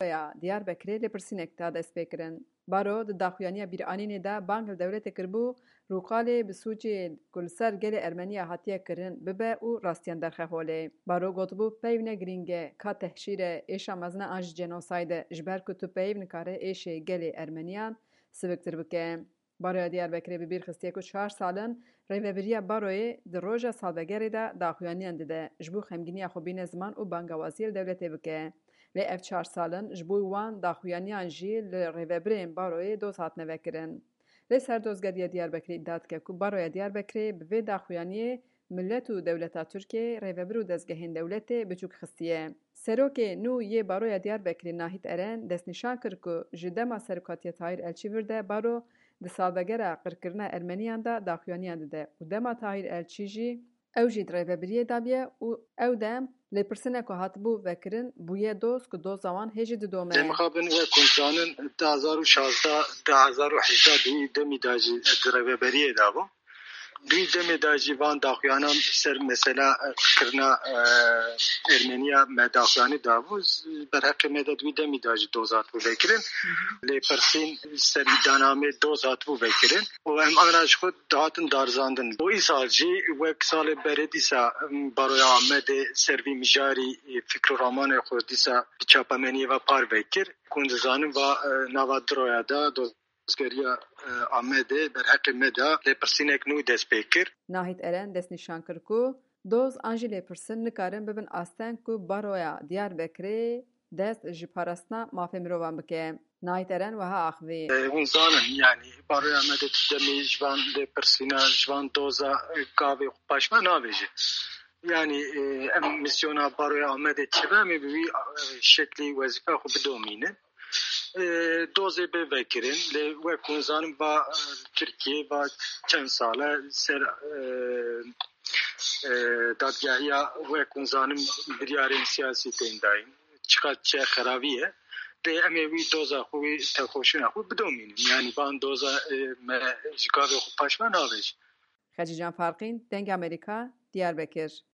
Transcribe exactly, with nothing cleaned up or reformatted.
Baroya Diyarbekirê lêpirsînek da destpêkirin. Baro di daxuyaniya bîranînê de bang li dewletê kiribû, Rûqalê bi sûcê ku li ser gelê Ermeniya hatiye kirin bibe û rastiyan derxe holê. Baro gotibû, peyv ne girîng e, ka tehşîr e, êşa mezin e an jî cenosayde, ji ber ku tu peyv nikare êşê gelê Ermeniyan siviktir bike. Baroya Diyarbekirê bi bîr xistiye ku çar sal in rêvebiriya baroyê di roja salvegerê de daxuyaniyan dide, ji bo xemgîniya xwe bîne ziman û bangawaziyê li dewletê bike. Lê ev çar sal in ji bo wan daxuyaniyan jî li rêvebirên baroyê doz hatine vekirin. Lê serdozgeriya Diyarbekirê îdia dike ku baroya Diyarbekirê bi vê daxuyaniyê milet û dewleta Tirkiyeyê, rêvebir û dezgehên dewletê biçûk xistiye. Serokê nû yê Baroya Diyarbekirê Nahît Eren destnîşan kir ku ji dema serokatiya Tahîr Elçî vir de baro di salvegera qirkirina Ermeniyan de daxuyaniyan dide û dema Tahîr Elçî jî ew jî di rêvebiriyê de bûye û ew dem lêpirsînek ku hatibû vekirin bûye doz ku doza wan hê jî didome. Lê mixabin wek hûn zanin, du hezar û şazdeh, du hezar û hejdeh di wî demî de jî di rêveberiyê de bû. Di wî demê de jî van daxuyanan ser mesela, e, kirina, e, Ermeniya me daxuyanî dabû. Z-, berheqê me de di wî demî de jî doz hatibû vekirin. Lêpirsîn ser îdîanamê doz hatibû vekirin. Û em ana ji xwe dihatin darizandin. Û îsal jî wek salê berê dîsa, em, Baroya Amedê ser vî mijarî, e, fikr û ramanê xwe dîsa bi çapemeniyê ve parve kir. Ku hûn dizanin va, e, nava du roya de doz Dozgeriya, e, Amedê berheqê me de lêpirsînek nû dest pê kir. Nahît Eren destnîşan kir ku doz an jî lêpirsin nikarin bibin asteng ku Baroya Diyarbekirê dest ji parastina mafê mirovan bike. Nahît Eren wiha axivî. E, hûn zanin, yanî Baroya Amedê tu demî ji van lêpirsîna, ji van doza, e, gavê xwe paşma navêje. Yanî, e, em misyona Baroya Amedê çi be, em ê bi wî, e, şeklî wezîfeya xwe bidomînin. E, dozê bê vekirin, lê wek hûn zanin va, e, Tirkiye va çend sal e ser, e, e, dadgehiya wek hûn zanin biryarên siyasî tên dayîn. Çiqas çi xerabî ye. Lê em ê wî doza xwe, wî têkoşîna xwe bidomînin. Yanî van doza, e, me ji gavê xwe paş me navêjin. Xecîcan Farqîn, Dengê Amerîka, Diyarbekir.